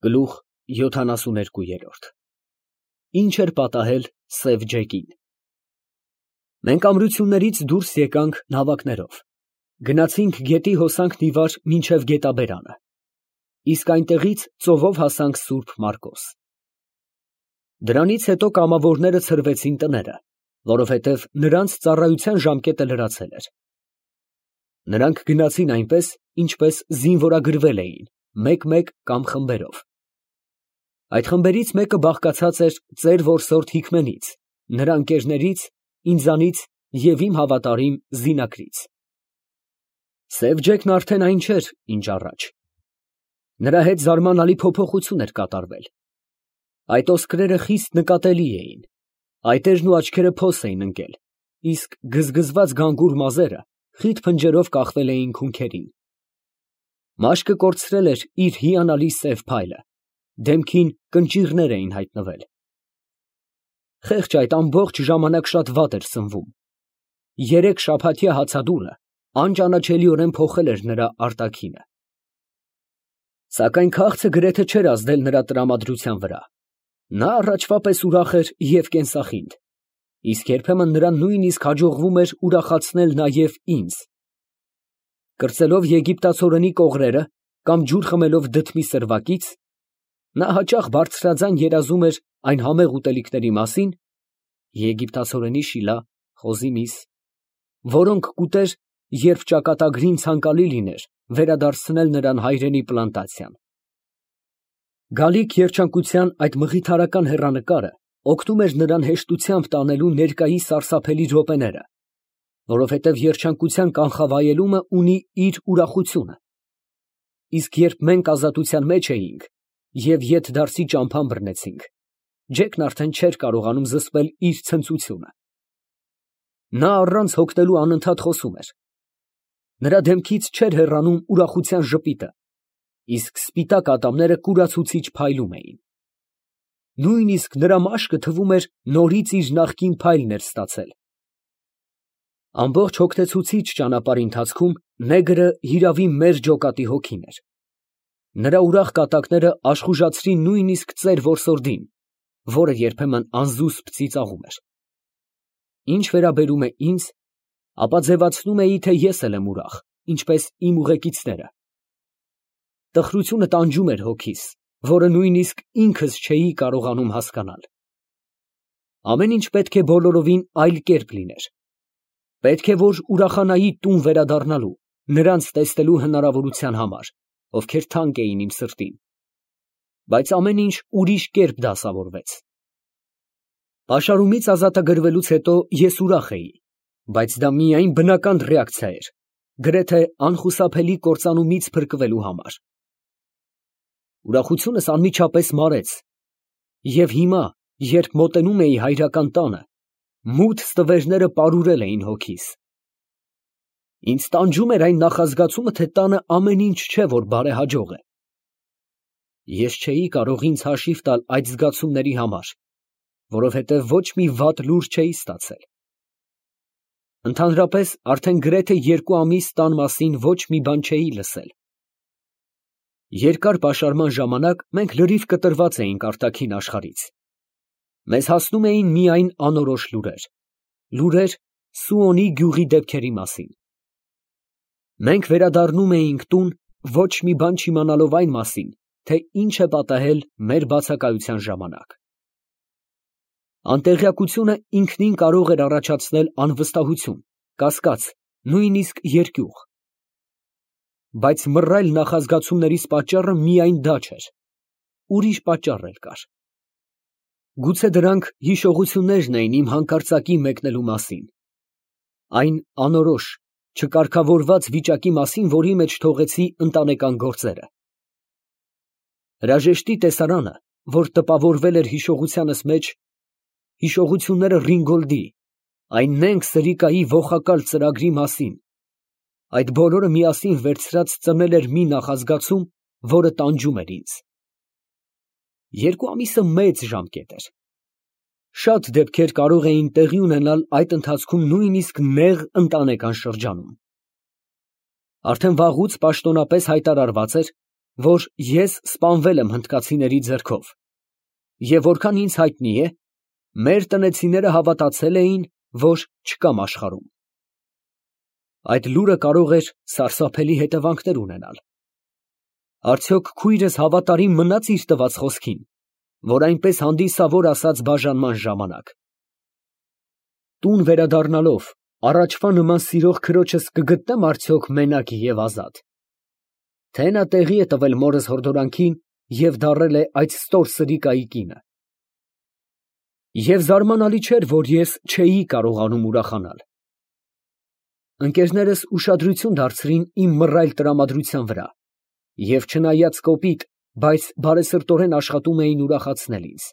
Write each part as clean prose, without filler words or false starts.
Գլուխ 72 Ինչ էր պատահել Սև Ջեկին։ Մենք ամրություններից դուրս եկանք նավակներով, գնացինք գետի հոսանքն ի վար մինչև գետաբերանը, իսկ այնտեղից ծովով հասանք Սուրբ Մարկոս։ Դրանից հետո կամավորները ցրվեցին տները, որովհետև նրանց ծառայության ժամկետը լրացել էր։ Նրանք գնացին այնպես, ինչպես զինվորագրվել էին, մեկ-մեկ կամ խմբերով։ Այդ խմբերից մեկը բաղկացած էր ծեր որսորդ Հիկմենից, նրա ընկերներից, ինձանից և իմ հավատարիմ զինակրից։ Սև Ջեկն արդեն այն չէր, ինչ առաջ։ Նրա հետ զարմանալի փոփոխություն էր կատարվել։ Այդ ոսկրերը խիստ նկատելի էին, այտերն ու աչքերը փոս էին ընկել, իսկ գզգզված գանգուր մազերը խիտ փնջերով կախվել էին քունքերին։ Մաշկը կորցրել էր իր հիանալի սև փայլը, դեմքին կնճիռներ էին հայտնվել։ Խեղճ այդ ամբողջ ժամանակ շատ վատ էր սնվում։ 3 շաբաթյա հացադուլը անճանաչելիորեն փոխել էր նրա արտաքինը։ Սակայն քաղցը գրեթե չէր ազդել նրա տրամադրության վրա։ Նա առաջվա պես ուրախ էր և կենսախինդ, իսկ երբեմն նրան նույնիսկ հաջողվում էր ուրախացնել նաև ինձ։ Կրծելով եգիպտացորենի կողրերը կամ ջուր խմելով դդմի սրվակից, նա հաճախ բարձրաձայն երազում էր այն համեղ ուտելիքների մասին (եգիպտացորենի շիլա, խոզի միս), որոնք կուտեր, երբ ճակատագրին ցանկալի լիներ վերադարձնել նրան հայրենի պլանտացիան։ Գալիք երջանկության այդ մղիթարական հեռանկարը օգնում էր նրան հեշտությամբ տանելու ներկայի սարսափելի րոպեները, որովհետև երջանկության կանխավայելումը ունի իր ուրախությունը, իսկ երբ մենք ազատության մեջ էինք և ետդարձի ճամփան բռնեցինք, Ջեկն արդեն չէր կարողանում զսպել իր ցնծությունը։ Նա առանց հոգնելու անընդհատ խոսում էր։ Նրա դեմքից չէր հեռանում ուրախության ժպիտը, իսկ սպիտակ ատամները կուրացուցիչ փայլում էին։ Նույնիսկ նրա մաշկը թվում էր նորից իր նախկին փայլն էր ստացել։ Ամբողջ հոգնեցուցիչ ճանապարհի ընթացքում նեգրը հիրավի մեր ջոկատի հոգին էր։ Նրա ուրախ կատակները աշխուժացրին նույնիսկ ծեր որսորդին, որը երբեմն անզուսպ ծիծաղում էր։ Ինչ վերաբերում է ինձ, ապա ձևացնում էի, թե ես էլ եմ ուրախ, ինչպես իմ ուղեկիցները։ Տխրությունը տանջում էր հոգիս, որը նույնիսկ ինքս չէի կարողանում հասկանալ։ Ամեն ինչ պետք է բոլորովին այլ կերպ լիներ։ Պետք է, որ ուրախանայի տուն վերադառնալու, նրանց տեսնելու հնարավորության համար, ովքեր թանկ էին իմ սրտին։ Բայց ամեն ինչ ուրիշ կերպ դասավորվեց։ Պաշարումից ազատագրվելուց հետո ես ուրախ էի, բայց դա միայն բնական ռեակցիա էր, գրեթե անխուսափելի կործանումից փրկվելու համար։ Ուրախությունս անմիջապես մարեց, և հիմա, երբ մոտենում էի հայրական տանը, մութ ստվերները պարուրել էին հոգիս։ Ինձ տանջում էր այն նախազգացումը, թե տանը ամեն ինչ չէ, որ բարեհաջող է։ Ես չէի կարող ինձ հաշիվ տալ այդ զգացումների համար, որովհետև ոչ մի վատ լուր չէի ստացել։ Ընդհանրապես, արդեն գրեթե 2 ամիս տան մասին ոչ մի բան չէի լսել։ Երկար պաշարման ժամանակ մենք լրիվ կտրված էինք արտաքին աշխարհից։ Մեզ հասնում էին միայն անորոշ լուրեր, լուրեր Սուոնի գյուղի դեպքերի մասին։ Մենք վերադառնում էինք տուն, ոչ մի բան չիմանալով այն մասին, թե ինչ է պատահել մեր բացակայության ժամանակ։ Անտեղյակությունը ինքնին կարող էր առաջացնել անվստահություն, կասկած, նույնիսկ երկյուղ։ Բայց մռայլ նախազգացումներիս պատճառը միայն դա չէր, ուրիշ պատճառ էլ կար։ Գուցե դրանք հիշողություններն էին իմ հանկարծակի մեկնելու մասին, այն անորոշ, չկարգավորված վիճակի մասին, որի մեջ թողեցի ընտանեկան գործերը։ Հրաժեշտի տեսարանը, որ տպավորվել էր հիշողությանս մեջ, հիշողությունները Ռինգոլդի, այն նենգ Սրիկայի ոխակալ ծրագրի մասին, այդ բոլորը միասին վերցրած ծնել էր մի նախազգացում, որը տանջում էր ինձ։ 2 ամիսը մեծ ժամկետ էր։ Շատ դեպքեր կարող էին տեղի ունենալ այդ ընթացքում նույնիսկ նեղ ընտանեկան շրջանում։ Արդեն վաղուց պաշտոնապես հայտարարված էր, որ ես սպանվել եմ հնդկացիների ձեռքով, և որքան ինձ հայտնի է, մեր տնեցիները հավատացել էին, որ չկամ աշխարհում։ Այդ լուրը կարող էր սարսափելի հետևանքներ ունենալ։ Արդյոք քույրս հավատարիմ մնաց իր տված խոսքին, որ այնպես հանդիսավոր ասաց բաժանման ժամանակ։ Տուն վերադառնալով, առաջվա նման սիրող քրոջս կգտնեմ արդյոք մենակ և ազատ, թե նա տեղի է տվել մորս հորդորանքին և դառել է այդ ստոր սրիկայի կինը։ Եվ զարմանալի չէր, որ ես չէի կարողանում ուրախանալ։ Ընկերներս ուշադրություն դարձրին իմ մռայլ տրամադրության վրա և չնայած կոպիտ, բայց բարեսրտորեն աշխատում էին ուրախացնել ինձ,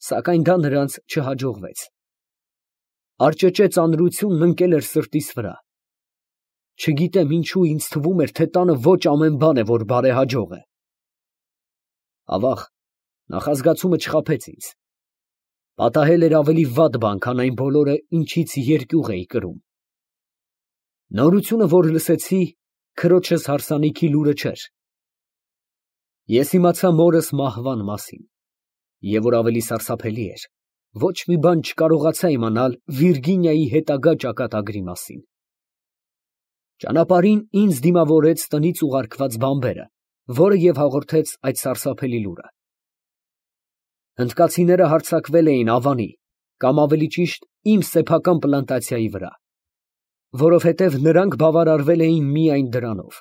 սակայն դա նրանց չհաջողվեց։ Արճճե ծանրությունն ընկել էր սրտիս վրա։ Չգիտեմ ինչու ինձ թվում էր, թե տանը ոչ ամեն բան է, որ բարեհաջող է։ Ավաղ, նախազգացումը չխաբեց ինձ։ Պատահել էր ավելի վատ բան, քան այն բոլորը, ինչից երկյուղ էի կրում։ Նորությունը, որ լսեցի, քրոջս հարսանիքի լուրը չէր։ Ես իմացա մորս մահվան մասին, և որ ավելի սարսափելի էր, ոչ մի բան չկարողացա իմանալ Վիրգինիայի հետագա ճակատագրի մասին։ Ճանապարհին ինձ դիմավորեց տնից ուղարկված բանբերը, որը և հաղորդեց այդ սարսափելի լուրը։ Հնդկացիները հարձակվել էին Ավանի, կամ ավելի ճիշտ իմ սեփական պլանտացիայի վրա, որովհետև նրանք բավարարվել էին միայն դրանով։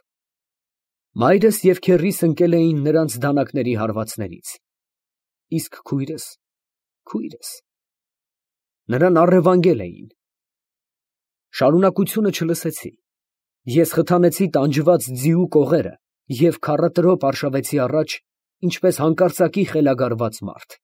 Մայրս և քեռիս ընկել էին նրանց դանակների հարվածներից, իսկ քույրս, նրան առևանգել էին։ Շարունակությունը չլսեցի։ Ես խթանեցի տանջված ձիու կողերը և քառատրոփ արշավեցի առաջ, ինչպես հանկարծակի խելագարված մարդ։